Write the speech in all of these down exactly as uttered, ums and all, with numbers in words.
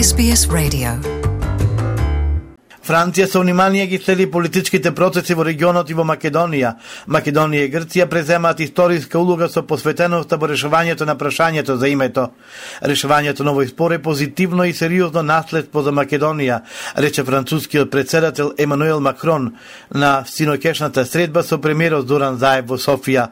Ес Би Ес Radio. Франција со внимание ги следи политичките процеси во регионот и во Македонија. Македонија и Грција преземаат историска улога со посветеноста во решавањето на прашањето за името. Решавањето на овој спор е позитивно и сериозно наследство за Македонија, рече францускиот претседател Емануел Макрон на синоќешната средба со премиерот Зоран Заев во Софија.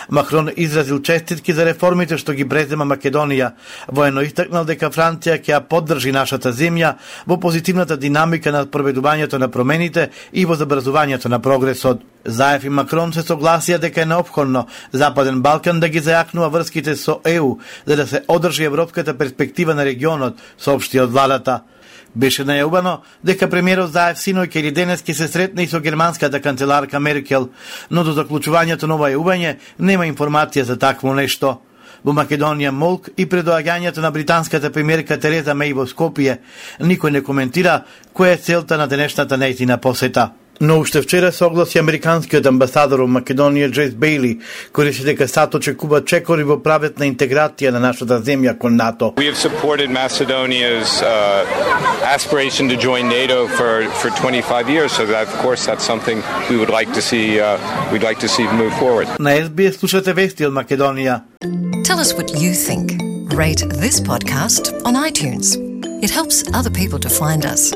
Макрон изразил честитки за реформите што ги презема Македонија. Воено истакнал дека Франција ќе ја поддржи нашата земја во позитивната динамика на проведувањето на промените и во забрзувањето на прогресот. Заев и Макрон се согласија дека е неопходно Западен Балкан да ги зајакнува врските со Е У, за да се одржи европската перспектива на регионот, соопшти од владата. Беше најавено дека премиерот Заев синоќа или денес ќе се сретне и со германската канцеларка Меркел, но до заклучувањето на ова јавување нема информација за такво нешто. Во Македонија молк и предоаѓањето на британската премиерка Тереза Меј во Скопје, никој не коментира која е целта на денешната нејзина посета. Но уште вчера се огласи американскиот амбасадор во Македонија Джейс Бејли, кој рече дека САД очекува чекори во правец на интеграција на нашата земја кон НАТО. We have supported Macedonia's uh, aspiration to join NATO for for twenty-five years, so that of course that's something we would like to see uh, we'd like to see move forward. На Ес Би Ес слушате вести од Македонија. Tell us what you think. Rate this podcast on iTunes. It helps other people to find us.